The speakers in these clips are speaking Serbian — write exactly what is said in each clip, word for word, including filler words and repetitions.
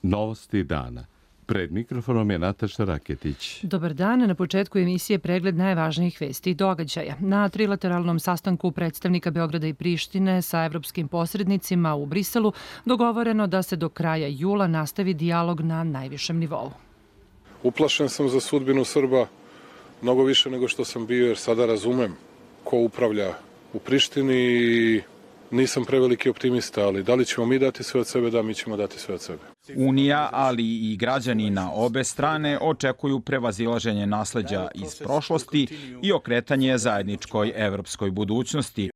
Novosti dana. Pred mikrofonom je Nataša Raketić. Dobar dan. Na početku emisije pregled najvažnijih vesti i događaja. Na trilateralnom sastanku predstavnika Beograda i Prištine sa evropskim posrednicima u Briselu dogovoreno da se do kraja jula nastavi dijalog na najvišem nivou. Uplašen sam za sudbinu Srba mnogo više nego što sam bio, jer sada razumem ko upravlja u Prištini i nisam preveliki optimista, ali da li ćemo mi dati sve od sebe? Da, mi ćemo dati sve od sebe. Unija, ali i građani na obe strane očekuju prevazilaženje nasleđa iz prošlosti i okretanje zajedničkoj evropskoj budućnosti.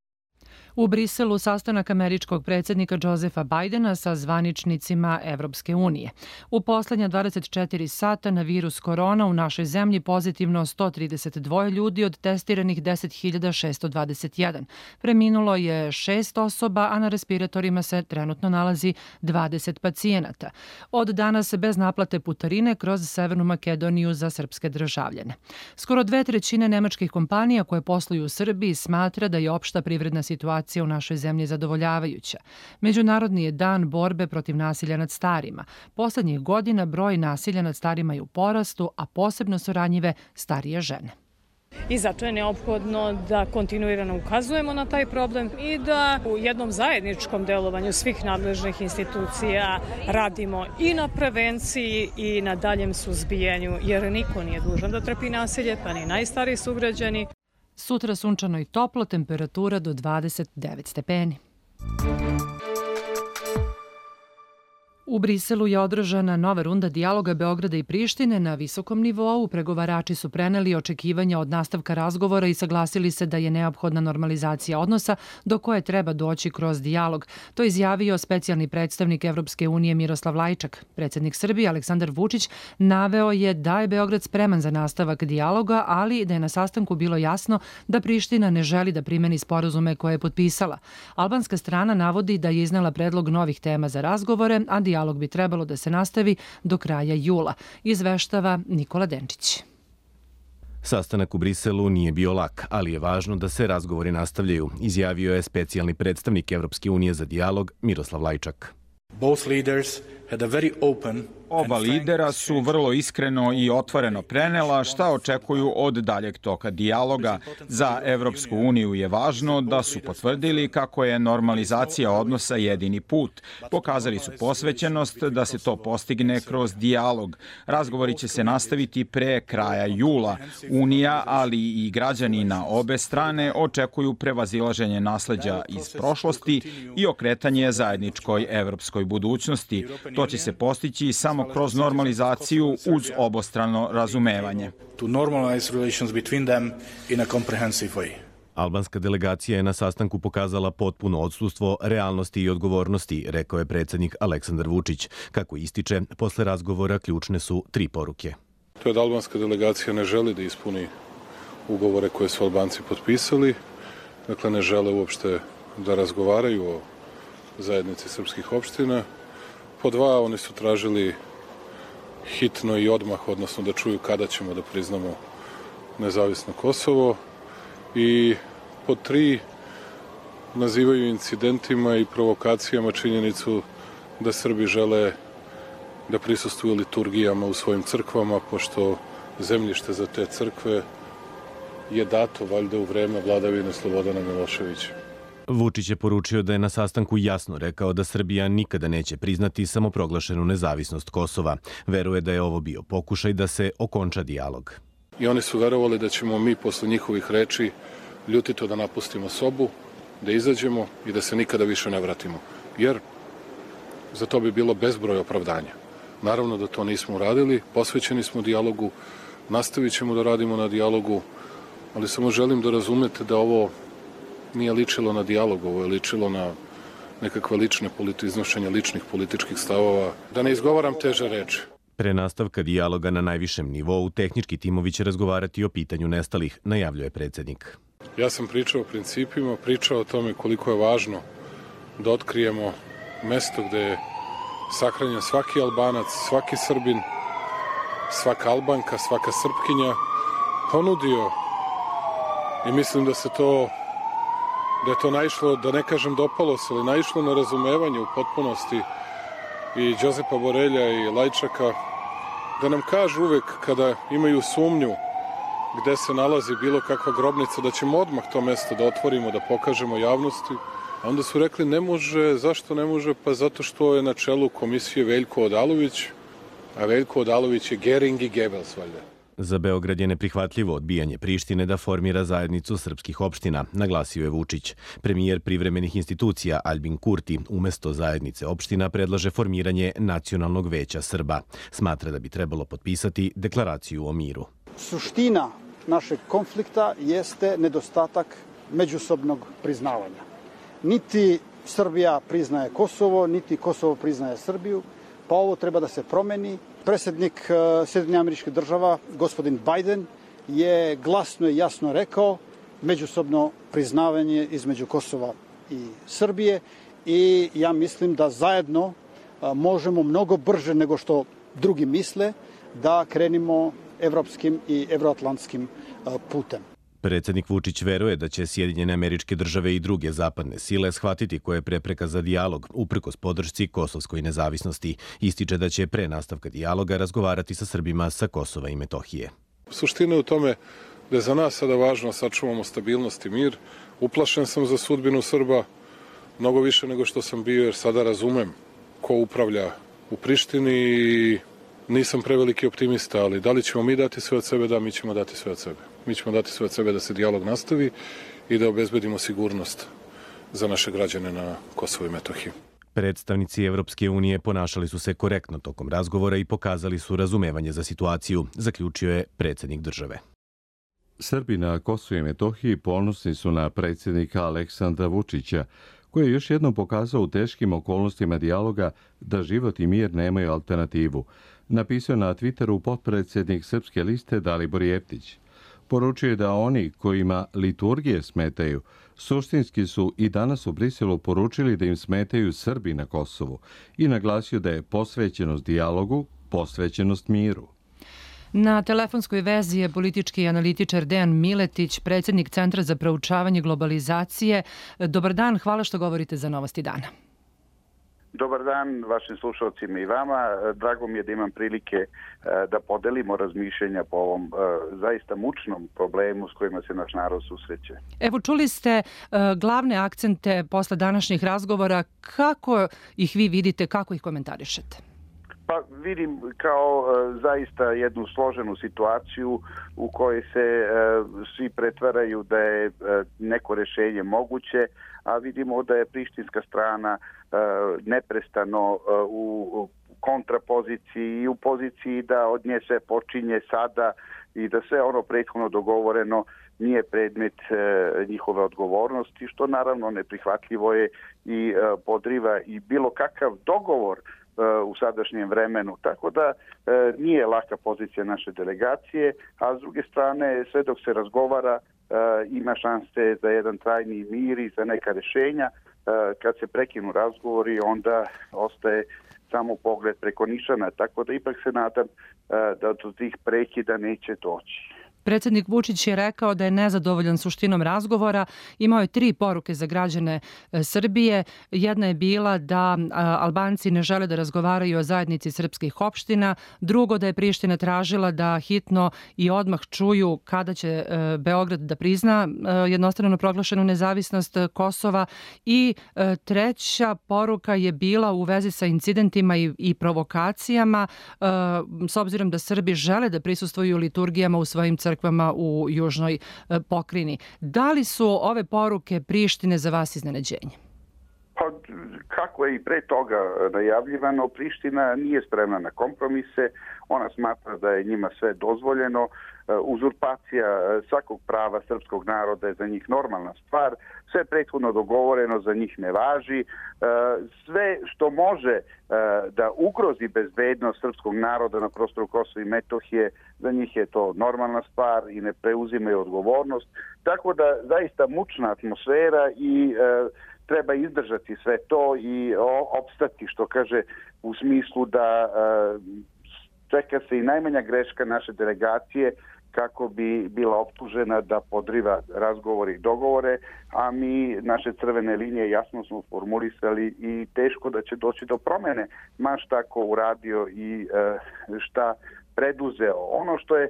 U Briselu sastanak američkog predsjednika Josefa Bajdena sa zvaničnicima Evropske unije. U poslednja dvadeset četiri sata na virus korona u našoj zemlji pozitivno sto trideset dva ljudi od testiranih deset hiljada šesto dvadeset jedan. Preminulo je šest osoba, a na respiratorima se trenutno nalazi dvadeset pacijenata. Od danas bez naplate putarine kroz Severnu Makedoniju za srpske državljane. Skoro dve trećine nemačkih kompanija koje posluju u Srbiji smatra da je opšta privredna situacija u našoj zemlji zadovoljavajuća. Međunarodni je dan borbe protiv nasilja nad starima. Poslednjih godina broj nasilja nad starima je u porastu, a posebno su ranjive starije žene. I zato je neophodno da kontinuirano ukazujemo na taj problem i da u jednom zajedničkom delovanju svih nadležnih institucija radimo i na prevenciji i na daljem suzbijanju, jer niko nije dužan da trpi nasilje, pa ni najstariji sugrađani. Sutra sunčano i toplo, temperatura do dvadeset devet stepeni. U Briselu je održana nova runda dijaloga Beograda i Prištine na visokom nivou. Pregovarači su preneli očekivanja od nastavka razgovora i saglasili se da je neophodna normalizacija odnosa do koje treba doći kroz dijalog. To je izjavio specijalni predstavnik Evropske unije Miroslav Lajčak. Predsjednik Srbije Aleksandar Vučić naveo je da je Beograd spreman za nastavak dijaloga, ali da je na sastanku bilo jasno da Priština ne želi da primeni sporazume koje je potpisala. Albanska strana navodi da je iznela predlog novih tema za razgovore, a dijalog Dijalog bi trebalo da se nastavi do kraja jula, izveštava Nikola Denčić. Sastanak u Briselu nije bio lak, ali je važno da se razgovori nastavljaju, izjavio je specijalni predstavnik Evropske unije za dijalog Miroslav Lajčak. Both leaders had a very open Oba lidera su vrlo iskreno i otvoreno prenela šta očekuju od daljeg toka dijaloga. Za Evropsku uniju je važno da su potvrdili kako je normalizacija odnosa jedini put. Pokazali su posvećenost da se to postigne kroz dijalog. Razgovori će se nastaviti pre kraja jula. Unija, ali i građani na obe strane očekuju prevazilaženje nasleđa iz prošlosti i okretanje zajedničkoj evropskoj budućnosti. To će se postići samo kroz normalizaciju uz obostrano razumevanje. Albanska delegacija je na sastanku pokazala potpuno odsustvo realnosti i odgovornosti, rekao je predsjednik Aleksandar Vučić. Kako ističe, posle razgovora ključne su tri poruke. To je da albanska delegacija ne želi da ispuni ugovore koje su Albanci potpisali, dakle ne žele uopšte da razgovaraju o zajednici srpskih opština. Po dva, oni su tražili hitno i odmah, odnosno da čuju kada ćemo da priznamo nezavisno Kosovo. I po tri, nazivaju incidentima i provokacijama činjenicu da Srbi žele da prisustvuju liturgijama u svojim crkvama, pošto zemljište za te crkve je dato valjda u vreme vladavine Slobodana Miloševića. Vučić je poručio da je na sastanku jasno rekao da Srbija nikada neće priznati samoproglašenu nezavisnost Kosova. Veruje da je ovo bio pokušaj da se okonča dijalog. I oni su verovali da ćemo mi posle njihovih reči ljutito da napustimo sobu, da izađemo i da se nikada više ne vratimo. Jer za to bi bilo bezbroj opravdanja. Naravno da to nismo uradili, posvećeni smo dijalogu, nastavit ćemo da radimo na dijalogu, ali samo želim da razumete da ovo nije ličilo na dijalog, ovo je ličilo na nekakve lične iznošenja ličnih političkih stavova. Da ne izgovaram teže reči. Pre nastavka dijaloga na najvišem nivou, tehnički timovi će razgovarati o pitanju nestalih, najavljuje predsjednik. Ja sam pričao o principima, pričao o tome koliko je važno da otkrijemo mesto gde je sahranjen svaki Albanac, svaki Srbin, svaka Albanka, svaka Srpkinja, ponudio i mislim da se to da je to naišlo, da ne kažem dopalo se, ali naišlo na razumevanje u potpunosti i Đozepa Borelja i Lajčaka, da nam kažu uvek kada imaju sumnju gde se nalazi bilo kakva grobnica, da ćemo odmah to mesto da otvorimo, da pokažemo javnosti. A onda su rekli ne može, zašto ne može? Pa zato što je na čelu komisije Veljko Odalović, a Veljko Odalović je Gering i Goebbels, valjda. Za Beograd je neprihvatljivo odbijanje Prištine da formira zajednicu srpskih opština, naglasio je Vučić. Premijer privremenih institucija Albin Kurti umesto zajednice opština predlaže formiranje Nacionalnog veća Srba. Smatra da bi trebalo potpisati deklaraciju o miru. Suština našeg konflikta jeste nedostatak međusobnog priznavanja. Niti Srbija priznaje Kosovo, niti Kosovo priznaje Srbiju, pa ovo treba da se promeni. Predsjednik Sjedinjenih Američkih Država, gospodin Biden, je glasno i jasno rekao međusobno priznavanje između Kosova i Srbije i ja mislim da zajedno možemo mnogo brže nego što drugi misle da krenimo evropskim i evroatlantskim putem. Predsjednik Vučić veruje da će Sjedinjene Američke Države i druge zapadne sile shvatiti koja je prepreka za dijalog, uprkos podršci kosovskoj nezavisnosti. Ističe da će pre nastavka dijaloga razgovarati sa Srbima sa Kosova i Metohije. Suština je u tome da je za nas sada važno sačuvamo stabilnost i mir. Uplašen sam za sudbinu Srba mnogo više nego što sam bio, jer sada razumem ko upravlja u Prištini i nisam preveliki optimista, ali da li ćemo mi dati sve od sebe? Da, mi ćemo dati sve od sebe. Mi ćemo dati sve od sebe da se dijalog nastavi i da obezbedimo sigurnost za naše građane na Kosovu i Metohiji. Predstavnici Evropske unije ponašali su se korektno tokom razgovora i pokazali su razumevanje za situaciju, zaključio je predsjednik države. Srbi na Kosovu i Metohiji ponosni su na predsjednika Aleksandra Vučića, koji je još jednom pokazao u teškim okolnostima dijaloga da život i mir nemaju alternativu, napisao na Twitteru potpredsjednik Srpske liste Dalibor Jeftić. Poručio je da oni kojima liturgije smetaju, suštinski su i danas u Briselu poručili da im smetaju Srbi na Kosovu i naglasio da je posvećenost dijalogu, posvećenost miru. Na telefonskoj vezi je politički analitičar Dejan Miletić, predsjednik Centra za proučavanje globalizacije. Dobar dan, hvala što govorite za Novosti dana. Dobar dan vašim slušalcima i vama. Drago mi je da imam prilike da podelimo razmišljenja po ovom zaista mučnom problemu s kojima se naš narod susreće. Evo, čuli ste glavne akcente posle današnjih razgovora. Kako ih vi vidite, kako ih komentarišete? Pa vidim kao zaista jednu složenu situaciju u kojoj se svi pretvaraju da je neko rješenje moguće, a vidimo da je prištinska strana neprestano u kontrapoziciji i u poziciji da od nje sve počinje sada i da sve ono prethodno dogovoreno nije predmet njihove odgovornosti, što naravno neprihvatljivo je i podriva i bilo kakav dogovor u sadašnjem vremenu. Tako da nije laka pozicija naše delegacije, a s druge strane sve dok se razgovara ima šanse za jedan trajni mir i za neka rješenja. Kad se prekinu razgovori, onda ostaje samo pogled preko nišana, tako da ipak se nadam da do tih prekida neće doći. Predsjednik Vučić je rekao da je nezadovoljan suštinom razgovora. Imao je tri poruke za građane Srbije. Jedna je bila da Albanci ne žele da razgovaraju o zajednici srpskih opština. Drugo, da je Priština tražila da hitno i odmah čuju kada će Beograd da prizna jednostrano proglašenu nezavisnost Kosova. I treća poruka je bila u vezi sa incidentima i, i provokacijama, s obzirom da Srbi žele da prisustvuju liturgijama u svojim crkvama crkvama u južnoj pokrajini. Da li su ove poruke Prištine za vas iznenađenje? Pa, kako je i pre toga najavljivano, Priština nije spremna na kompromise, ona smatra da je njima sve dozvoljeno, uzurpacija svakog prava srpskog naroda je za njih normalna stvar, sve prethodno dogovoreno za njih ne važi, sve što može da ugrozi bezbednost srpskog naroda na prostoru Kosova i Metohije, za njih je to normalna stvar i ne preuzimaju odgovornost, tako da zaista mučna atmosfera i treba izdržati sve to i opstati, što kaže, u smislu da čeka se i najmanja greška naše delegacije kako bi bila optužena da podriva razgovore i dogovore, a mi naše crvene linije jasno smo formulisali i teško da će doći do promene, ma šta ko uradio i šta preduzeo. Ono što je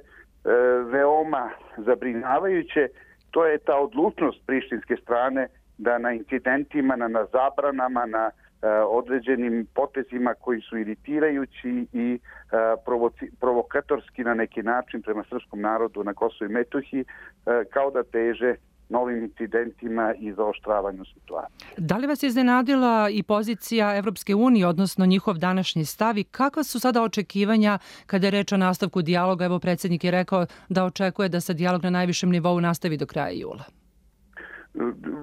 veoma zabrinjavajuće, to je ta odlučnost prištinske strane da na incidentima, na, na zabranama, na uh, određenim potezima koji su iritirajući i uh, provoci, provokatorski na neki način prema srpskom narodu na Kosovu i Metohiji, uh, kao da teže novim incidentima i zaoštravanju situacije. Da li vas je iznenadila i pozicija Evropske unije, odnosno njihov današnji stav, i kakva su sada očekivanja kada je reč o nastavku dijaloga? Evo, predsjednik je rekao da očekuje da se dijalog na najvišem nivou nastavi do kraja jula.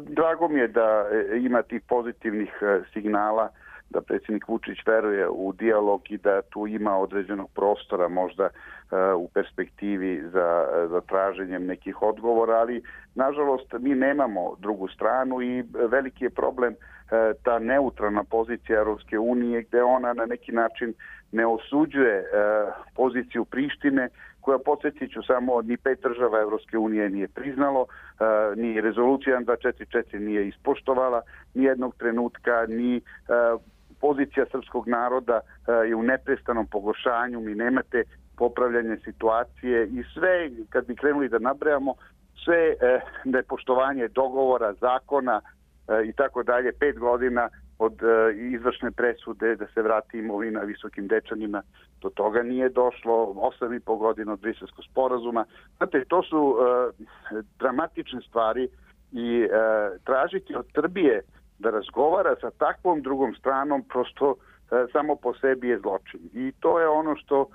Drago mi je da ima tih pozitivnih signala, da predsjednik Vučić veruje u dijalog i da tu ima određenog prostora možda uh, u perspektivi za, za traženjem nekih odgovora, ali nažalost mi nemamo drugu stranu i veliki je problem uh, ta neutralna pozicija Europske unije, gde ona na neki način ne osuđuje uh, poziciju Prištine, koja, podsjetit ću samo, ni pet država Evropske unije nije priznalo, uh, ni rezolucija jedan dva četiri četiri nije ispoštovala ni jednog trenutka, ni uh, pozicija srpskog naroda uh, je u neprestanom pogoršanju, mi nemate popravljanje situacije i sve, kad bi krenuli da nabrajamo, sve uh, nepoštovanje dogovora, zakona uh, i tako dalje, pet godina od uh, izvršne presude da se vrati imovina Visokim Dečanima, do toga nije došlo, osam i po godina od Briselskog sporazuma. Znate, to su uh, dramatične stvari i uh, tražiti od Srbije da razgovara sa takvom drugom stranom prosto uh, samo po sebi je zločin. I to je ono što uh,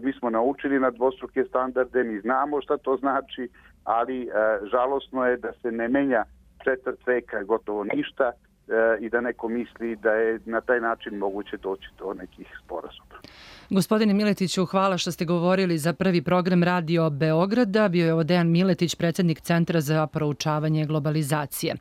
mi smo naučili na dvostruke standarde, mi znamo šta to znači, ali uh, žalosno je da se ne menja četvrt veka gotovo ništa i da neko misli da je na taj način moguće doći do nekih sporazuma. Gospodine Miletiću, hvala što ste govorili za prvi program Radio Beograda. Bio je ovo Dejan Miletić, predsjednik Centra za proučavanje globalizacije.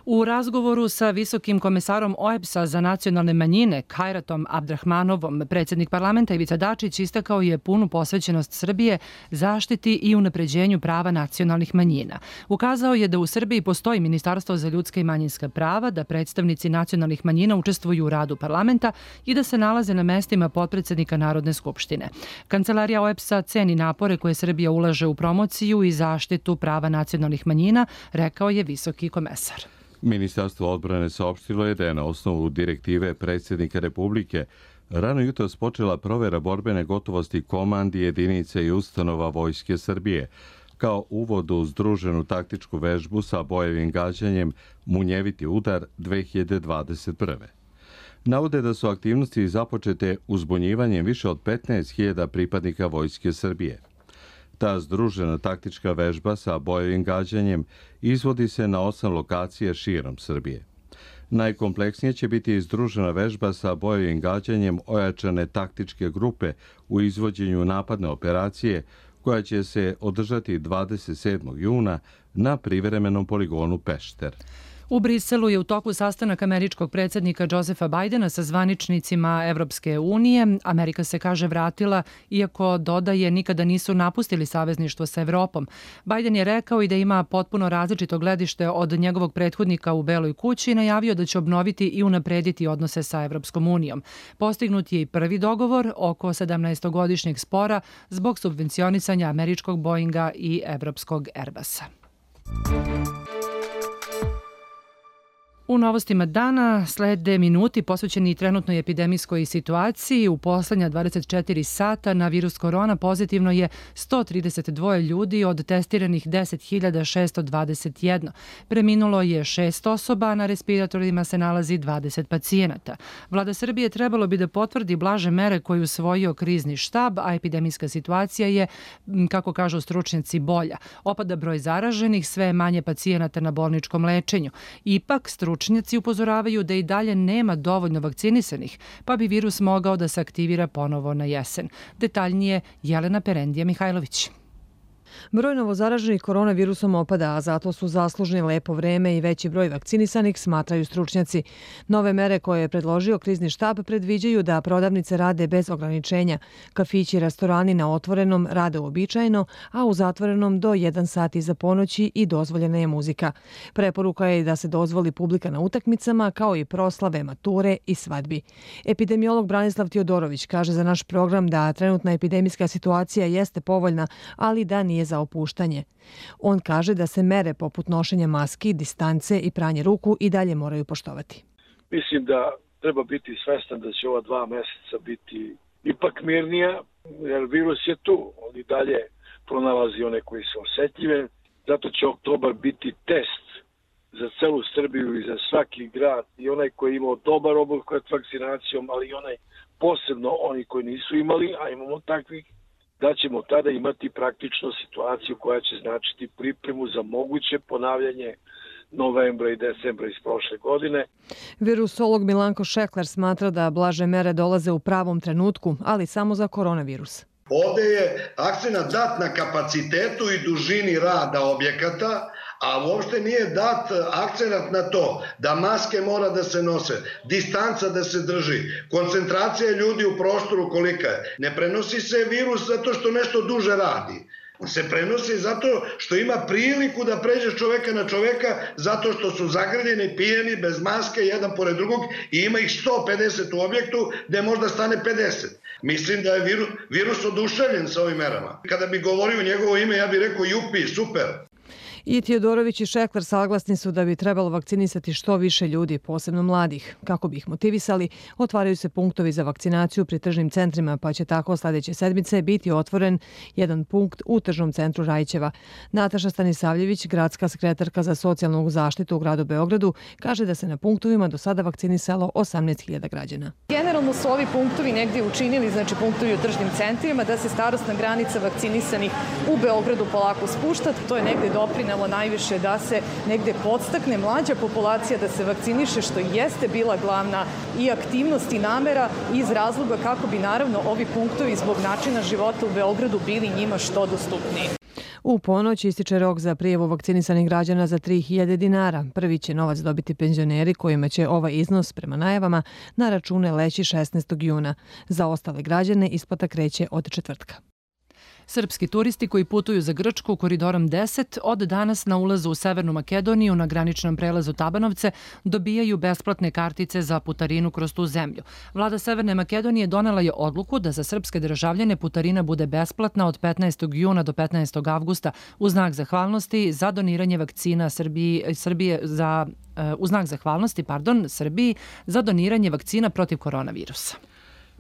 U razgovoru sa visokim komesarom O E B S-a za nacionalne manjine, Kajratom Abdrahmanovom, predsjednik parlamenta Ivica Dačić istakao je punu posvećenost Srbije zaštiti i unapređenju prava nacionalnih manjina. Ukazao je da u Srbiji postoji Ministarstvo za ljudska i manjinska prava, da predstavnici nacionalnih manjina učestvuju u radu parlamenta i da se nalaze na mestima potpredsjednika Narodne skupštine. Kancelarija O E B S-a ceni napore koje Srbija ulaže u promociju i zaštitu prava nacionalnih manjina, rekao je visoki komesar. Ministarstvo odbrane saopštilo je da je na osnovu direktive predsjednika Republike rano jutros počela provera borbene gotovosti komandi, jedinice i ustanova Vojske Srbije, kao uvod u združenu taktičku vežbu sa bojevim gađanjem Munjeviti udar dve hiljade dvadeset prve. Navode da su aktivnosti započete uzbunjivanjem više od petnaest hiljada pripadnika Vojske Srbije. Ta združena taktička vežba sa bojevim gađanjem izvodi se na osam lokacija širom Srbije. Najkompleksnije će biti združena vežba sa bojevim gađanjem ojačane taktičke grupe u izvođenju napadne operacije koja će se održati dvadeset sedmog juna na privremenom poligonu Pešter. U Briselu je u toku sastanak američkog predsjednika Josefa Bajdena sa zvaničnicima Evropske unije. Amerika se, kaže, vratila, iako dodaje nikada nisu napustili savezništvo sa Evropom. Bajden je rekao i da ima potpuno različito gledište od njegovog prethodnika u Beloj kući i najavio da će obnoviti i unaprediti odnose sa Evropskom unijom. Postignut je i prvi dogovor oko sedamnaestogodišnjeg spora zbog subvencionisanja američkog Boeinga i evropskog Airbusa. U novostima dana slede minuti posvećeni trenutnoj epidemijskoj situaciji. U poslednja dvadeset četiri sata na virus korona pozitivno je sto trideset dva ljudi od testiranih deset hiljada šesto dvadeset jedan. Preminulo je šest osoba, na respiratorima se nalazi dvadeset pacijenata. Vlada Srbije trebalo bi da potvrdi blaže mere koje je usvojio krizni štab, a epidemijska situacija je, kako kažu stručnjaci, bolja. Opada broj zaraženih, sve manje pacijenata na bolničkom lečenju. Ipak, stručnjaci Stručnjaci upozoravaju da i dalje nema dovoljno vakcinisanih, pa bi virus mogao da se aktivira ponovo na jesen. Detaljnije Jelena Perendija Mihajlović. Broj novozaraženih koronavirusom opada, a zato su zaslužni lepo vreme i veći broj vakcinisanih, smatraju stručnjaci. Nove mere koje je predložio krizni štab predviđaju da prodavnice rade bez ograničenja, kafići i restorani na otvorenom rade uobičajeno, a u zatvorenom do jedan sat iza ponoći i dozvoljena je muzika. Preporuka je da se dozvoli publika na utakmicama, kao i proslave, mature i svadbi. Epidemiolog Branislav Tiodorović kaže za naš program da trenutna epidemijska situacija jeste povoljna, ali da nije za opuštanje. On kaže da se mere poput nošenja maski, distance i pranje ruku i dalje moraju poštovati. Mislim da treba biti svestan da će ova dva meseca biti ipak mirnija, jer virus je tu. On i dalje pronalazi one koji su osetljive. Zato će oktobar biti test za celu Srbiju i za svaki grad. I onaj koji je imao dobar obuhvat vakcinacijom, ali i onaj posebno oni koji nisu imali, a imamo takvih, da ćemo tada imati praktično situaciju koja će značiti pripremu za moguće ponavljanje novembra i decembra iz prošle godine. Virusolog Milanko Šekler smatra da blaže mere dolaze u pravom trenutku, ali samo za koronavirus. Ovde je akcenat dat na kapacitetu i dužini rada objekata, a uopšte nije dat akcenat na to da maske mora da se nose, distanca da se drži, koncentracija ljudi u prostoru kolika je. Ne prenosi se virus zato što nešto duže radi. Se prenosi zato što ima priliku da pređe čoveka na čoveka, zato što su zagrljeni, pijeni, bez maske, jedan pored drugog i ima ih sto pedeset u objektu gde možda stane pedeset. Mislim da je virus, virus oduševljen sa ovim merama. Kada bi govorio njegovo ime, ja bih rekao jupi, super. I Tiodorović i Šekler saglasni su da bi trebalo vakcinisati što više ljudi, posebno mladih. Kako bi ih motivisali, otvaraju se punktovi za vakcinaciju pri tržnim centrima, pa će tako sljedeće sedmice biti otvoren jedan punkt u tržnom centru Rajićeva. Nataša Stanisavljević, gradska sekretarka za socijalnu zaštitu u gradu Beogradu, kaže da se na punktovima do sada vakcinisalo osamnaest hiljada građana. Generalno su ovi punktovi negdje učinili, znači punktovi u tržnim centrima, da se starosna granica vakcinisanih u Beogradu polako spušta. To je negdje doprinelo najviše da se negde podstakne mlađa populacija da se vakciniše, što jeste bila glavna i aktivnost i namera iz razloga kako bi naravno ovi punktovi zbog načina života u Beogradu bili njima što dostupniji. U ponoć ističe rok za prijavu vakcinisanih građana za tri hiljade dinara. Prvi će novac dobiti penzioneri kojima će ovaj iznos prema najavama na račune leći šesnaestog juna. Za ostale građane isplata kreće od četvrtka. Srpski turisti koji putuju za Grčku koridorom deset od danas na ulazu u Severnu Makedoniju na graničnom prelazu Tabanovce dobijaju besplatne kartice za putarinu kroz tu zemlju. Vlada Severne Makedonije donela je odluku da za srpske državljane putarina bude besplatna od petnaestog juna do petnaestog avgusta u znak zahvalnosti za doniranje vakcina Srbiji, Srbije za u znak zahvalnosti, pardon, Srbiji za doniranje vakcina protiv koronavirusa.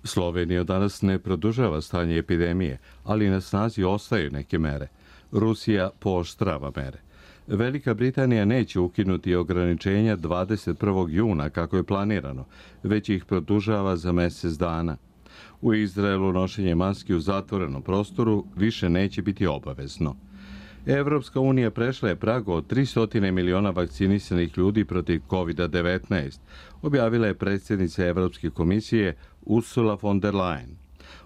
Slovenija danas ne produžava stanje epidemije, ali na snazi ostaju neke mere. Rusija pooštrava mere. Velika Britanija neće ukinuti ograničenja dvadeset prvog juna kako je planirano, već ih produžava za mjesec dana. U Izraelu nošenje maski u zatvorenom prostoru više neće biti obavezno. Evropska unija prešla je prag od tristo miliona vakcinisanih ljudi protiv kovid devetnaest, objavila je predsjednica Evropske komisije Ursula von der Leyen.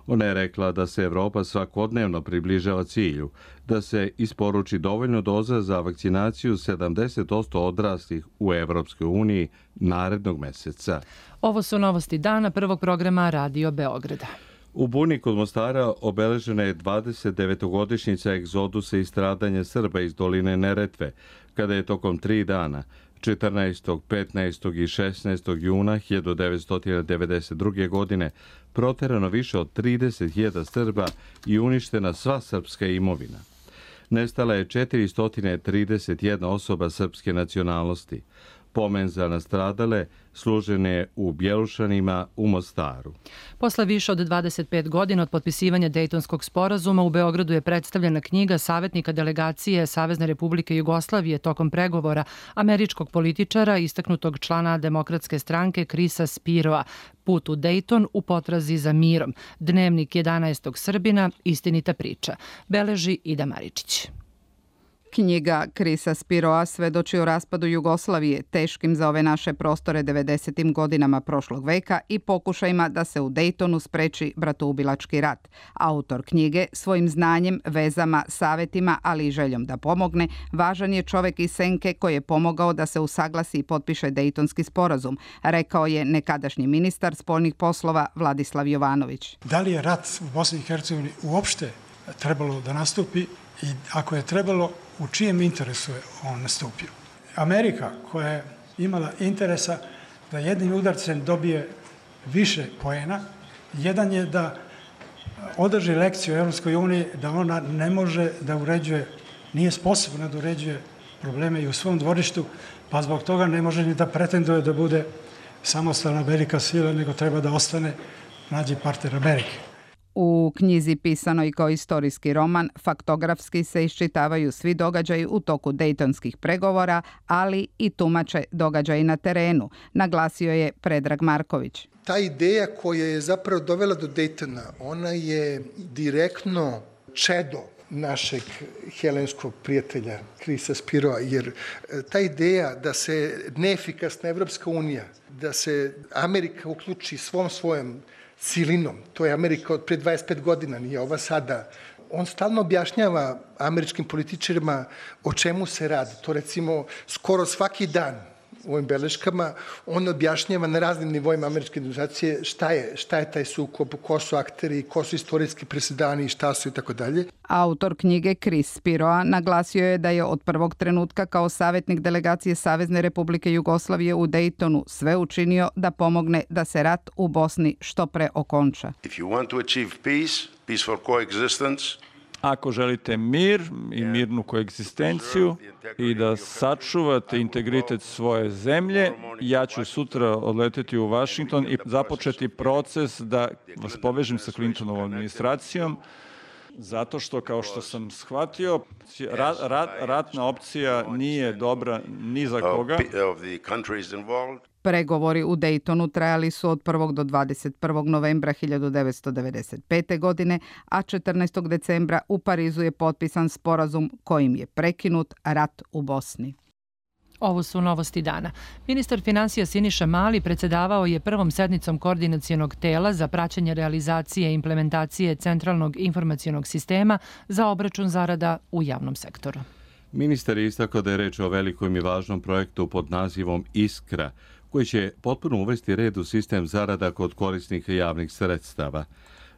Ona je rekla da se Evropa svakodnevno približava cilju, da se isporuči dovoljno doza za vakcinaciju sedamdeset posto odraslih u Evropskoj uniji narednog mjeseca. Ovo su novosti dana prvog programa Radio Beograda. U Buni kod Mostara obeležena je dvadeset devetogodišnjica egzodusa i stradanja Srba iz doline Neretve, kada je tokom tri dana, četrnaestog, petnaestog i šesnaestog juna hiljadu devetsto devedeset druge. godine, proterano više od trideset hiljada Srba i uništena sva srpska imovina. Nestala je četiristo trideset jedna osoba srpske nacionalnosti. Pomen za nastradale služen je u Bjelušanima u Mostaru. Posle više od dvadeset pet godina od potpisivanja Dejtonskog sporazuma u Beogradu je predstavljena knjiga savjetnika delegacije Savezne Republike Jugoslavije tokom pregovora američkog političara, istaknutog člana Demokratske stranke Krisa Spiroa, Put u Dejton u potrazi za mirom. Dnevnik jedanaestog Srbina, istinita priča. Beleži Ida Maričić. Knjiga Krisa Spiroa svedoči o raspadu Jugoslavije, teškim za ove naše prostore devedesetim godinama prošlog veka i pokušajima da se u Dejtonu spreči bratoubilački rat. Autor knjige svojim znanjem, vezama, savetima, ali i željom da pomogne, važan je čovek iz senke koji je pomogao da se usaglasi i potpiše Dejtonski sporazum, rekao je nekadašnji ministar spoljnih poslova Vladislav Jovanović. Da li je rat u Bosni i Hercegovini uopšte trebalo da nastupi i ako je trebalo, u čijem interesu je on nastupio? Amerika, koja je imala interesa da jednim udarcem dobije više poena, jedan je da održi lekciju Evropskoj uniji da ona ne može da uređuje, nije sposobna da uređuje probleme i u svom dvorištu, pa zbog toga ne može ni da pretenduje da bude samostalna velika sila, nego treba da ostane nađi partner Amerike. U knjizi pisanoj kao istorijski roman faktografski se iščitavaju svi događaji u toku dejtonskih pregovora, ali i tumače događaji na terenu, naglasio je Predrag Marković. Ta ideja koja je zapravo dovela do Dejtona, ona je direktno čedo našeg helenskog prijatelja Krisa Spiroa, jer ta ideja da se neefikasna Evropska unija, da se Amerika uključi svom svojom silinom, to je Amerika od pre dvadeset pet godina, nije ova sada. On stalno objašnjava američkim političarima o čemu se radi. To recimo skoro svaki dan u ovim beleškama on objašnjava na raznim nivoima američke administracije šta je, šta je taj sukob, ko su akteri, ko su istorijski presedani, šta su i tako dalje. Autor knjige Kris Spiroa naglasio je da je od prvog trenutka kao savjetnik delegacije Savezne Republike Jugoslavije u Dejtonu sve učinio da pomogne da se rat u Bosni što pre okonča. If you want to achieve peace, peaceful coexistence, ako želite mir i mirnu koegzistenciju i da sačuvate integritet svoje zemlje, ja ću sutra odleteti u Vašington i započeti proces da vas povežem sa Clintonovom administracijom, zato što, kao što sam shvatio, rat, rat, ratna opcija nije dobra ni za koga. Pregovori u Dejtonu trajali su od prvog do dvadeset prvog novembra hiljadu devetsto devedeset pete. godine, a četrnaestog decembra u Parizu je potpisan sporazum kojim je prekinut rat u Bosni. Ovo su novosti dana. Ministar finansija Siniša Mali predsedavao je prvom sednicom koordinacionog tela za praćenje realizacije i implementacije centralnog informacionog sistema za obračun zarada u javnom sektoru. Ministar je istakao da je reč o velikom i važnom projektu pod nazivom Iskra, koji će potpuno uvesti red u sistem zarada kod korisnika javnih sredstava.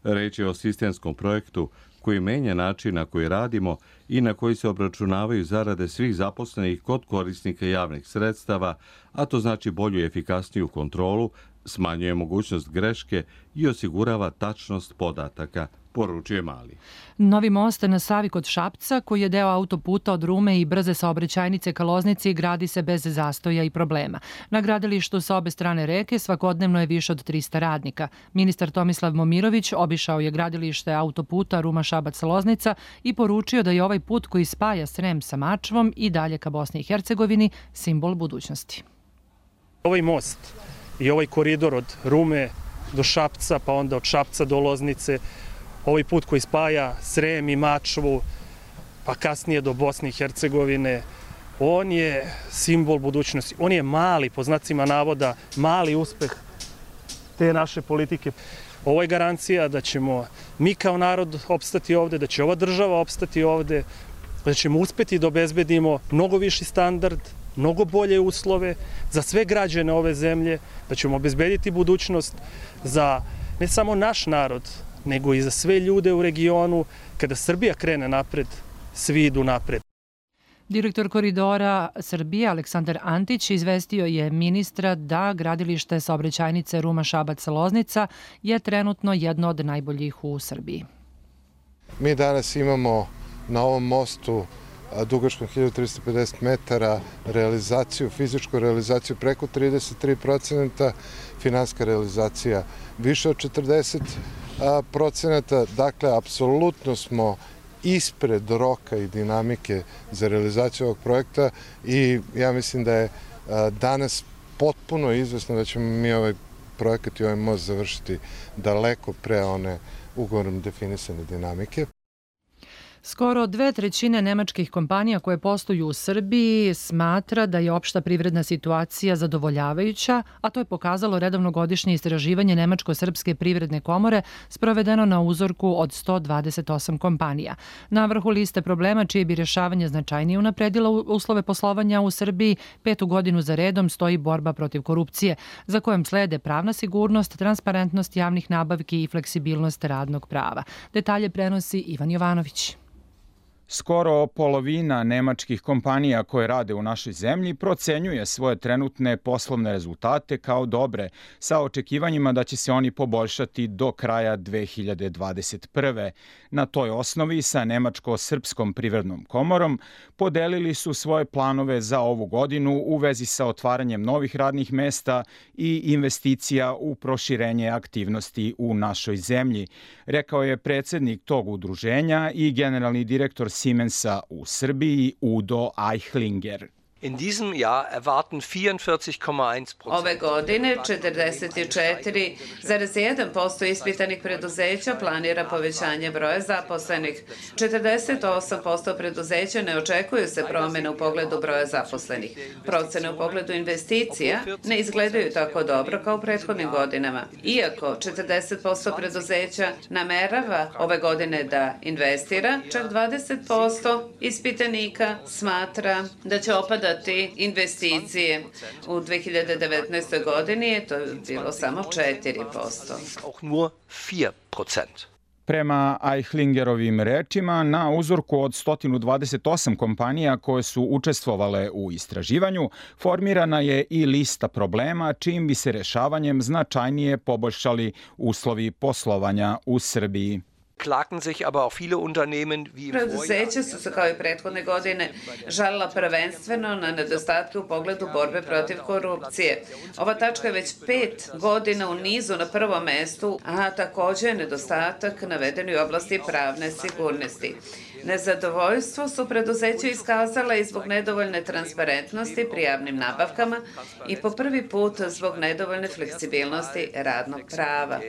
Reč je o sistemskom projektu koji menja način na koji radimo i na koji se obračunavaju zarade svih zaposlenih kod korisnika javnih sredstava, a to znači bolju i efikasniju kontrolu, smanjuje mogućnost greške i osigurava tačnost podataka, poručuje Mali. Novi most na Savi kod Šapca, koji je deo autoputa od Rume i brze saobraćajnice ka Loznici, gradi se bez zastoja i problema. Na gradilištu sa obe strane reke svakodnevno je više od trista radnika. Ministar Tomislav Momirović obišao je gradilište autoputa Ruma-Šabac-Loznica i poručio da je ovaj put koji spaja Srem sa Mačvom i dalje ka Bosni i Hercegovini simbol budućnosti. Ovaj most i ovaj koridor od Rume do Šapca, pa onda od Šapca do Loznice, ovaj put koji spaja Srem i Mačvu, pa kasnije do Bosne i Hercegovine, on je simbol budućnosti. On je mali, po znacima navoda, mali uspeh te naše politike. Ovo je garancija da ćemo mi kao narod opstati ovde, da će ova država opstati ovde, da ćemo uspeti da obezbedimo mnogo viši standard, mnogo bolje uslove za sve građane ove zemlje, da ćemo obezbediti budućnost za ne samo naš narod, nego i za sve ljude u regionu. Kada Srbija krene napred, svi idu napred. Direktor koridora Srbije Aleksandar Antić izvestio je ministra da gradilište saobraćajnice Ruma-Šabac-Loznica je trenutno jedno od najboljih u Srbiji. Mi danas imamo na ovom mostu dugačkom hiljadu trista pedeset metara realizaciju, fizičku realizaciju preko trideset tri procenta, finansijska realizacija više od četrdeset procenta. Dakle, apsolutno smo ispred roka i dinamike za realizaciju ovog projekta i ja mislim da je danas potpuno izvesno da ćemo mi ovaj projekat i ovaj most završiti daleko pre one ugovorom definisane dinamike. Skoro dve trećine nemačkih kompanija koje posluju u Srbiji smatra da je opšta privredna situacija zadovoljavajuća, a to je pokazalo redovno godišnje istraživanje Nemačko-srpske privredne komore sprovedeno na uzorku od sto dvadeset osam kompanija. Na vrhu liste problema čije bi rješavanje značajnije unapredilo uslove poslovanja u Srbiji, petu godinu za redom stoji borba protiv korupcije, za kojom slede pravna sigurnost, transparentnost javnih nabavki i fleksibilnost radnog prava. Detalje prenosi Ivan Jovanović. Skoro polovina nemačkih kompanija koje rade u našoj zemlji procenjuje svoje trenutne poslovne rezultate kao dobre, sa očekivanjima da će se oni poboljšati do kraja dve hiljade dvadeset prve. Na toj osnovi sa Nemačko-srpskom privrednom komorom podelili su svoje planove za ovu godinu u vezi sa otvaranjem novih radnih mesta i investicija u proširenje aktivnosti u našoj zemlji, rekao je predsjednik tog udruženja i generalni direktor Siemensa u Srbiji Udo Eichlinger. In diesem Jahr erwarten vierundvierzig komma eins Prozent. Ove godine četrdeset četiri zarez jedan posto ispitanih preduzeća planira povećanje broja zaposlenih. četrdeset osam posto preduzeća ne očekuju se promjene u pogledu broja zaposlenih. Procene u pogledu investicija ne izgledaju tako dobro kao u prethodnim godinama. Iako četrdeset posto preduzeća namerava ove godine da investira, čak dvadeset posto ispitanika smatra da će opadati investicije. U dve hiljade devetnaestoj godini je to bilo samo četiri posto. Prema Eichlingerovim rečima, na uzorku od sto dvadeset osam kompanija koje su učestvovale u istraživanju, formirana je i lista problema čijim bi se rešavanjem značajnije poboljšali uslovi poslovanja u Srbiji. Preduzeća su se kao i prethodne godine žalila prvenstveno na nedostatke u pogledu borbe protiv korupcije. Ova tačka je već pet godina u nizu na prvom mestu, a također je nedostatak naveden u oblasti pravne sigurnosti. Nezadovoljstvo su preduzeća iskazala i zbog nedovoljne transparentnosti pri javnim nabavkama i po prvi put zbog nedovoljne fleksibilnosti radnog prava.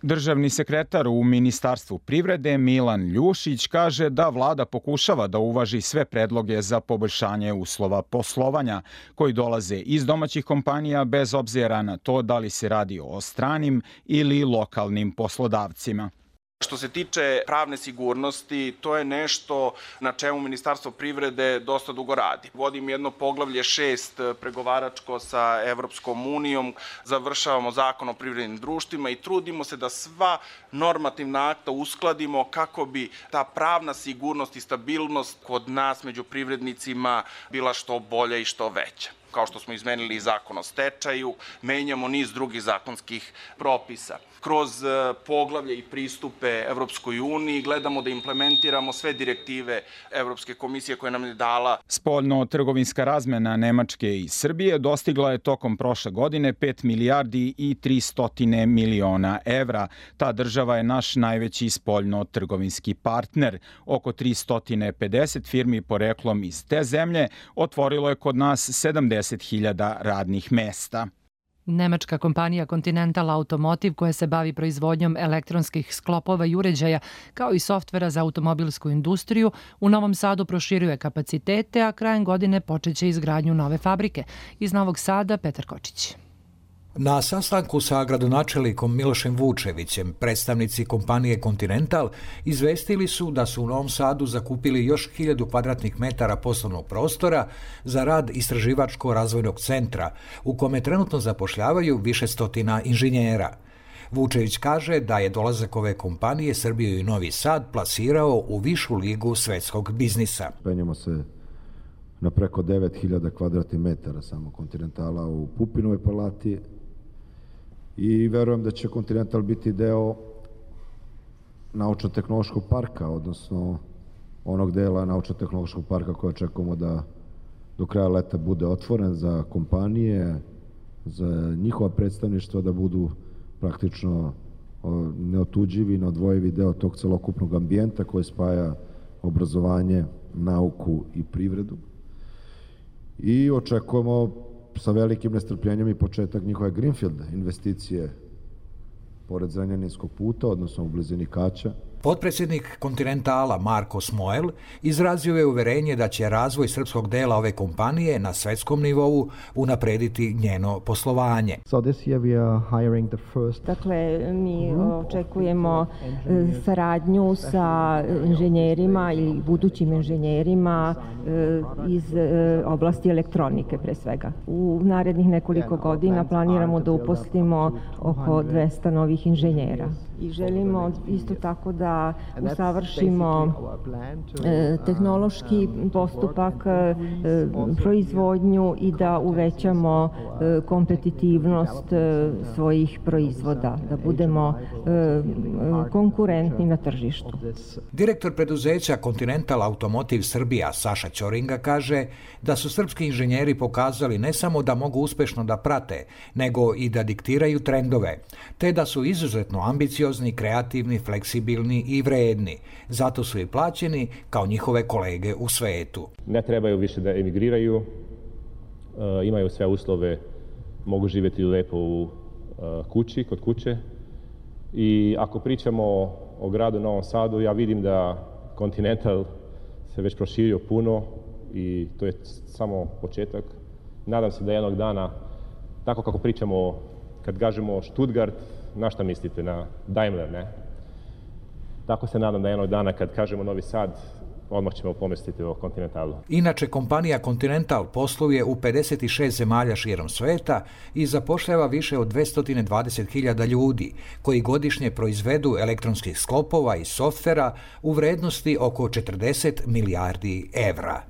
Državni sekretar u Ministarstvu privrede Milan Ljušić kaže da vlada pokušava da uvaži sve predloge za poboljšanje uslova poslovanja koji dolaze iz domaćih kompanija bez obzira na to da li se radi o stranim ili lokalnim poslodavcima. Što se tiče pravne sigurnosti, to je nešto na čemu Ministarstvo privrede dosta dugo radi. Vodim jedno poglavlje šest pregovaračko sa Evropskom unijom, završavamo zakon o privrednim društvima i trudimo se da sva normativna akta uskladimo kako bi ta pravna sigurnost i stabilnost kod nas među privrednicima bila što bolja i što veća. Kao što smo izmenili zakon o stečaju, menjamo niz drugih zakonskih propisa. Kroz poglavlje i pristupe Evropskoj uniji gledamo da implementiramo sve direktive Evropske komisije koje nam je dala. Spoljno-trgovinska razmena Nemačke i Srbije dostigla je tokom prošle godine pet milijardi i tristo miliona evra. Ta država je naš najveći spoljno-trgovinski partner. Oko tristo pedeset firmi poreklom iz te zemlje otvorilo je kod nas sedamdeset hiljada radnih mesta. Nemačka kompanija Continental Automotive, koja se bavi proizvodnjom elektronskih sklopova i uređaja, kao i softvera za automobilsku industriju, u Novom Sadu proširuje kapacitete, a krajem godine počeće izgradnju nove fabrike. Iz Novog Sada, Petar Kočić. Na sastanku sa gradonačelnikom Milošem Vučevićem, predstavnici kompanije Continental izvestili su da su u Novom Sadu zakupili još hiljadu kvadratnih metara poslovnog prostora za rad istraživačko-razvojnog centra, u kome trenutno zapošljavaju više stotina inženjera. Vučević kaže da je dolazak ove kompanije Srbiju i Novi Sad plasirao u višu ligu svetskog biznisa. Penjemo se na preko devet hiljada kvadratnih metara samo Continentala u Pupinovoj palati i verujem da će Continental biti deo naučno-tehnološkog parka, odnosno onog dela naučno-tehnološkog parka koje očekujemo da do kraja leta bude otvoren za kompanije, za njihova predstavništva da budu praktično neotuđivi, neodvojivi deo tog celokupnog ambijenta koji spaja obrazovanje, nauku i privredu. I očekujemo sa velikim nestrpljenjem i početak njihove Greenfield investicije pored Zrenjaninskog puta, odnosno u blizini Kaća, Potpredsjednik Continentala Marko Smojl izrazio je uverenje da će razvoj srpskog dela ove kompanije na svetskom nivou unaprediti njeno poslovanje. So this year we are hiring the first... Dakle, mi očekujemo saradnju sa inženjerima ili budućim inženjerima iz oblasti elektronike pre svega. U narednih nekoliko godina planiramo da uposlimo oko dvesta novih inženjera. I želimo isto tako da usavršimo tehnološki postupak, proizvodnju i da uvećamo kompetitivnost svojih proizvoda, da budemo konkurentni na tržištu. Direktor preduzeća Continental Automotive Srbija Saša Ćoringa kaže da su srpski inženjeri pokazali ne samo da mogu uspešno da prate, nego i da diktiraju trendove, te da su izuzetno ambiciozni, kreativni, fleksibilni i vredni. Zato su i plaćeni kao njihove kolege u svetu. Ne trebaju više da emigriraju, imaju sve uslove, mogu živjeti lepo u kući, kod kuće. I ako pričamo o gradu Novom Sadu, ja vidim da Continental se već proširio puno i to je samo početak. Nadam se da jednog dana, tako kako pričamo, kad kažemo Stuttgart, na šta mislite? Na Daimler, ne? Tako se nadam da jednog dana kad kažemo Novi Sad, odmah ćemo pomisliti o Continentalu. Inače, kompanija Continental posluje u pedeset šest zemalja širom sveta i zapošljava više od dvesta dvadeset hiljada ljudi, koji godišnje proizvedu elektronskih sklopova i softvera u vrednosti oko četrdeset milijardi evra.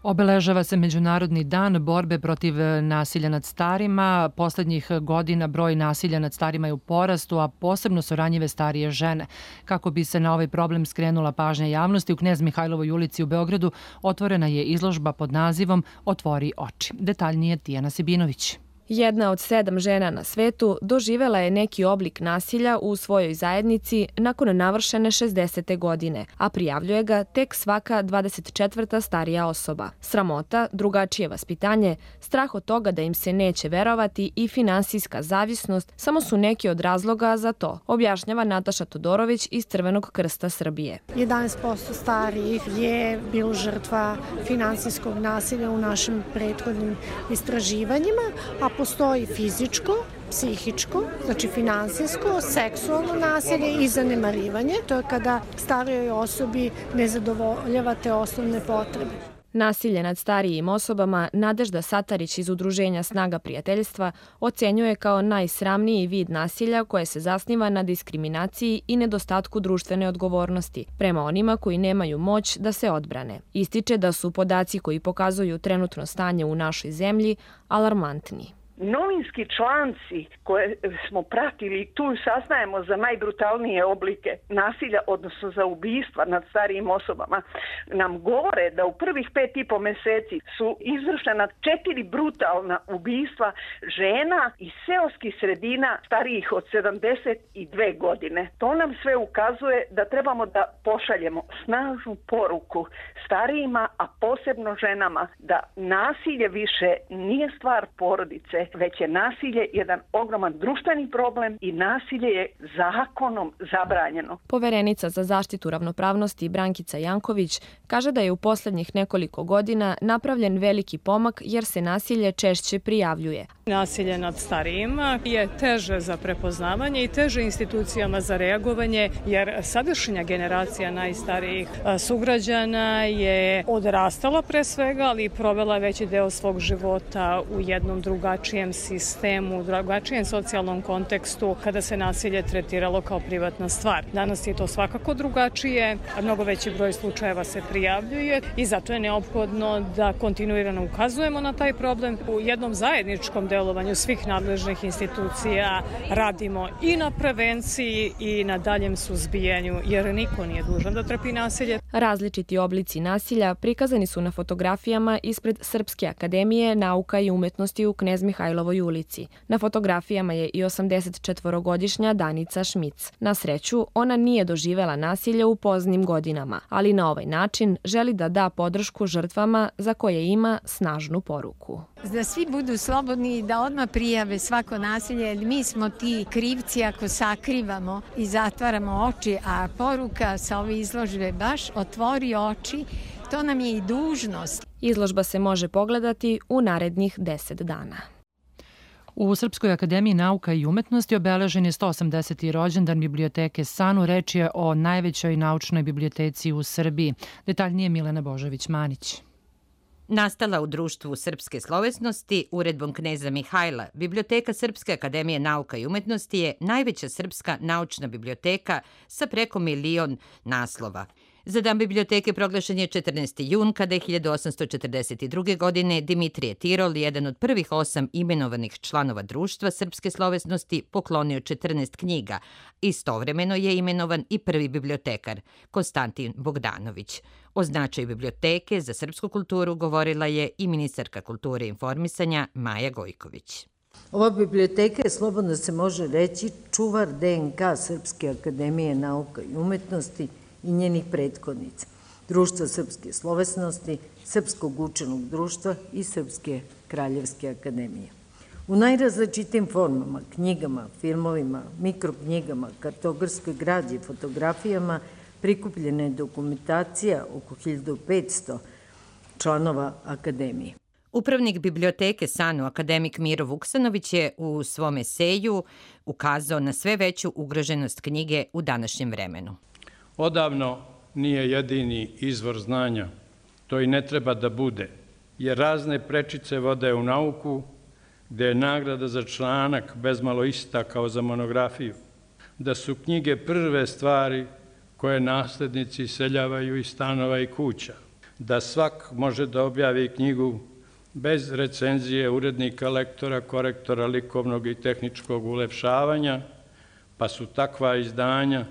Obeležava se Međunarodni dan borbe protiv nasilja nad starima. Poslednjih godina broj nasilja nad starima je u porastu, a posebno su ranjive starije žene. Kako bi se na ovaj problem skrenula pažnja javnosti, u Knez Mihajlovoj ulici u Beogradu otvorena je izložba pod nazivom Otvori oči. Detaljnije Tijana Sibinović. Jedna od sedam žena na svetu doživela je neki oblik nasilja u svojoj zajednici nakon navršene šezdesete godine, a prijavljuje ga tek svaka dvadeset četvrta starija osoba. Sramota, drugačije vaspitanje, strah od toga da im se neće verovati i finansijska zavisnost samo su neki od razloga za to, objašnjava Nataša Todorović iz Crvenog krsta Srbije. jedanaest posto starijih je bilo žrtva finansijskog nasilja u našim prethodnim istraživanjima, a postoji fizičko, psihičko, znači finansijsko, seksualno nasilje i zanemarivanje. To je kada starijoj osobi ne zadovoljava te osnovne potrebe. Nasilje nad starijim osobama Nadežda Satarić iz Udruženja Snaga prijateljstva ocenjuje kao najsramniji vid nasilja koje se zasniva na diskriminaciji i nedostatku društvene odgovornosti prema onima koji nemaju moć da se odbrane. Ističe da su podaci koji pokazuju trenutno stanje u našoj zemlji alarmantni. Novinski članci koje smo pratili, tu saznajemo za najbrutalnije oblike nasilja, odnosno za ubistva nad starijim osobama, nam govore da u prvih pet i po meseci su izvršena četiri brutalna ubistva žena iz seoskih sredina starijih od sedamdeset dve godine. To nam sve ukazuje da trebamo da pošaljemo snažnu poruku starijima, a posebno ženama, da nasilje više nije stvar porodice, već je nasilje jedan ogroman društveni problem i nasilje je zakonom zabranjeno. Poverenica za zaštitu ravnopravnosti Brankica Janković kaže da je u poslednjih nekoliko godina napravljen veliki pomak jer se nasilje češće prijavljuje. Nasilje nad starijima je teže za prepoznavanje i teže institucijama za reagovanje, jer sadašnja generacija najstarijih sugrađana je odrastala pre svega, ali i provela veći deo svog života u jednom drugačijem sistemu, u drugačijem socijalnom kontekstu kada se nasilje tretiralo kao privatna stvar. Danas je to svakako drugačije, mnogo veći broj slučajeva se prijavljuje i zato je neophodno da kontinuirano ukazujemo na taj problem. U jednom zajedničkom delovanju svih nadležnih institucija radimo i na prevenciji i na daljem suzbijanju, jer niko nije dužan da trpi nasilje. Različiti oblici nasilja prikazani su na fotografijama ispred Srpske akademije nauka i umetnosti u Knez Mihajlovoj ulici. Na fotografijama je i osamdesetčetvorogodišnja Danica Šmic. Na sreću, ona nije doživela nasilje u poznim godinama, ali na ovaj način želi da da podršku žrtvama za koje ima snažnu poruku. Da svi budu slobodni i da odmah prijave svako nasilje, jer mi smo ti krivci ako sakrivamo i zatvaramo oči, a poruka sa ove izložbe baš otvori oči, to nam je i dužnost. Izložba se može pogledati u narednih deset dana. U Srpskoj akademiji nauka i umetnosti obeležen je sto osamdeseti rođendan biblioteke Sanu. Reč je o najvećoj naučnoj biblioteci u Srbiji. Detaljnije Milena Božović-Manić. Nastala u društvu srpske slovesnosti, uredbom kneza Mihajla, Biblioteka Srpske akademije nauka i umetnosti je najveća srpska naučna biblioteka sa preko milion naslova. Za dan biblioteke proglašen je četrnaesti jun, kada je hiljadu osamsto četrdeset druge. godine Dimitrije Tirol, jedan od prvih osam imenovanih članova društva srpske slovesnosti, poklonio četrnaest knjiga. Istovremeno je imenovan i prvi bibliotekar, Konstantin Bogdanović. O značaju biblioteke za srpsku kulturu govorila je i ministarka kulture i informisanja Maja Gojković. Ova biblioteka je, slobodno se može reći, čuvar de en ka Srpske akademije nauka i umetnosti i njenih prethodnica, Društva srpske slovesnosti, Srpskog učenog društva i Srpske kraljevske akademije. U najrazličitim formama, knjigama, filmovima, mikroknjigama, kartografskoj građi, fotografijama, prikupljena je dokumentacija oko hiljadu petsto članova akademije. Upravnik biblioteke Sanu, akademik Miro Vuksanović, je u svom eseju ukazao na sve veću ugroženost knjige u današnjem vremenu. Odavno nije jedini izvor znanja, to i ne treba da bude, jer razne prečice vode u nauku, gde je nagrada za članak bezmalo ista kao za monografiju, da su knjige prve stvari koje naslednici iseljavaju iz stanova i kuća, da svak može da objavi knjigu bez recenzije urednika, lektora, korektora, likovnog i tehničkog ulepšavanja, pa su takva izdanja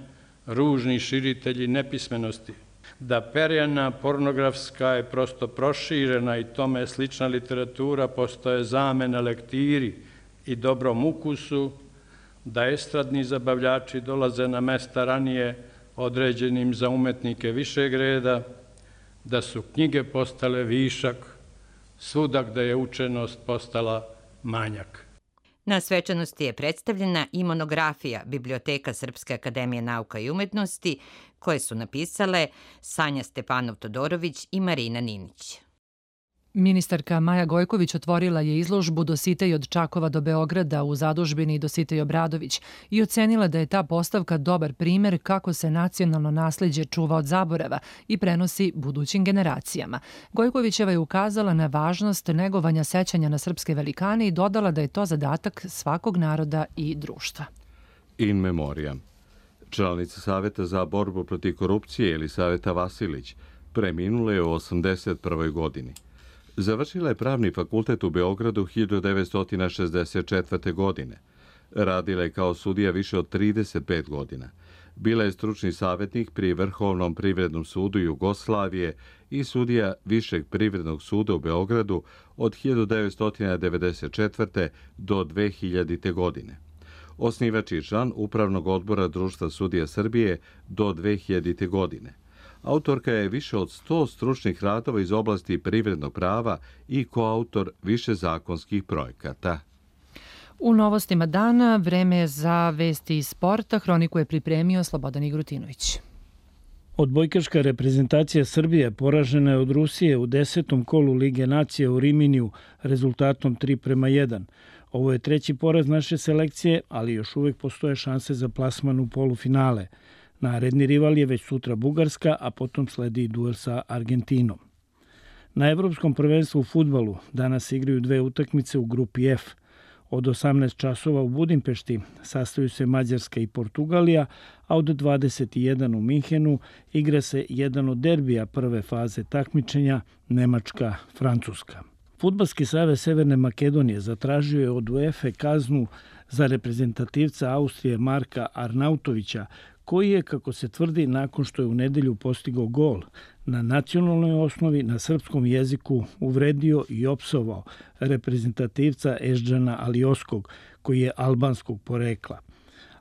ružni širitelji nepismenosti, da perjana pornografska je prosto proširena i tome slična literatura postoje zamena lektiri i dobrom ukusu, da estradni zabavljači dolaze na mesta ranije određenim za umetnike višeg reda, da su knjige postale višak, svuda gde je učenost postala manjak. Na svečanosti je predstavljena i monografija Biblioteka Srpske akademije nauka i umetnosti, koje su napisale Sanja Stepanov-Todorović i Marina Ninić. Ministarka Maja Gojković otvorila je izložbu Dositej od Čakova do Beograda u zadužbini Dositej Obradović i ocenila da je ta postavka dobar primer kako se nacionalno nasleđe čuva od zaborava i prenosi budućim generacijama. Gojkovićeva je ukazala na važnost negovanja sećanja na srpske velikane i dodala da je to zadatak svakog naroda i društva. In memoriam. Članica Saveta za borbu protiv korupcije Elisaveta Vasilić preminula je u osamdeset prvoj. godini. Završila je Pravni fakultet u Beogradu hiljadu devetsto šezdeset četvrte. godine. Radila je kao sudija više od trideset pet godina. Bila je stručni savjetnik pri Vrhovnom privrednom sudu Jugoslavije i sudija Višeg privrednog suda u Beogradu od hiljadu devetsto devedeset četvrte. do dve hiljadite. godine. Osnivač i član Upravnog odbora Društva sudija Srbije do dve hiljadite. godine. Autorka je više od sto stručnih radova iz oblasti privrednog prava i koautor više zakonskih projekata. U novostima dana vreme je za vesti iz sporta. Hroniku je pripremio Slobodan Igrutinović. Odbojkaška reprezentacija Srbije poražena je od Rusije u desetom kolu Lige nacija u Riminiju rezultatom tri prema jedan. Ovo je treći poraz naše selekcije, ali još uvek postoje šanse za plasman u polufinale. Naredni rival je već sutra Bugarska, a potom sledi duel sa Argentinom. Na Evropskom prvenstvu u fudbalu danas igraju dve utakmice u grupi F. Od osamnaest časova u Budimpešti sastaju se Mađarska i Portugalija, a od dvadeset jedan u Minhenu igra se jedan od derbija prve faze takmičenja Nemačka-Francuska. Fudbalski savez Severne Makedonije zatražio je od UEFA kaznu za reprezentativca Austrije Marka Arnautovića, koji je, kako se tvrdi, nakon što je u nedelju postigao gol, na nacionalnoj osnovi na srpskom jeziku uvredio i opsovao reprezentativca Eždžana Alioskog, koji je albanskog porekla.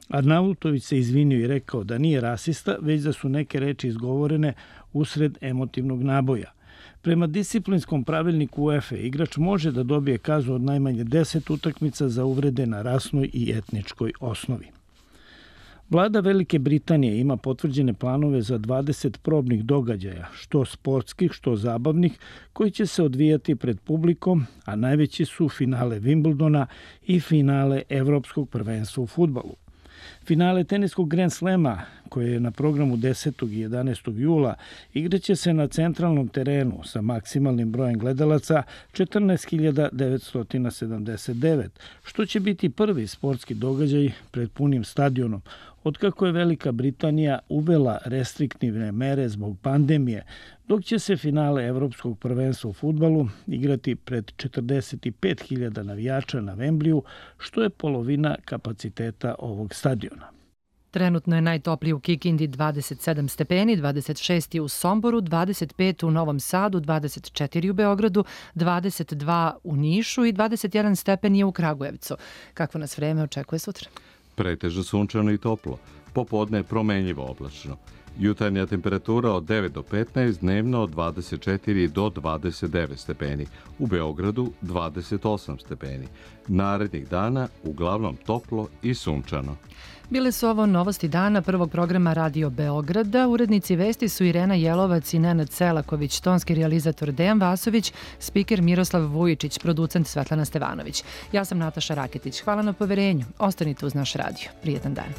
Arnautović se izvinio i rekao da nije rasista, već da su neke reči izgovorene usred emotivnog naboja. Prema disciplinskom pravilniku UEFA igrač može da dobije kaznu od najmanje deset utakmica za uvrede na rasnoj i etničkoj osnovi. Vlada Velike Britanije ima potvrđene planove za dvadeset probnih događaja, što sportskih, što zabavnih, koji će se odvijati pred publikom, a najveći su finale Wimbledona i finale Evropskog prvenstva u fudbalu. Finale teniskog Grand Slema, koje je na programu desetog i jedanaestog jula, igraće se na centralnom terenu sa maksimalnim brojem gledalaca četrnaest hiljada devetsto sedamdeset devet, što će biti prvi sportski događaj pred punim stadionom, otkako je Velika Britanija uvela restriktivne mere zbog pandemije, dok će se finale Evropskog prvenstva u fudbalu igrati pred četrdeset pet hiljada navijača na Wembleyu, što je polovina kapaciteta ovog stadiona. Trenutno je najtopliji u Kikindi dvadeset sedam stepeni, dvadeset šest u Somboru, dvadeset pet u Novom Sadu, dvadeset četiri u Beogradu, dvadeset dva u Nišu i dvadeset jedan stepen je u Kragujevcu. Kakvo nas vreme očekuje sutra? Pretežno sunčano i toplo. Popodne promenljivo oblačno. Jutarnja temperatura od devet do petnaest, dnevno od dvadeset četiri do dvadeset devet stepeni. U Beogradu dvadeset osam stepeni. Narednih dana uglavnom toplo i sunčano. Bile su ovo novosti dana prvog programa Radio Beograda. Urednici vesti su Irena Jelovac i Nenad Selaković, tonski realizator Dejan Vasović, spiker Miroslav Vujičić, producent Svetlana Stevanović. Ja sam Nataša Raketić. Hvala na poverenju. Ostanite uz naš radio. Prijetan dan.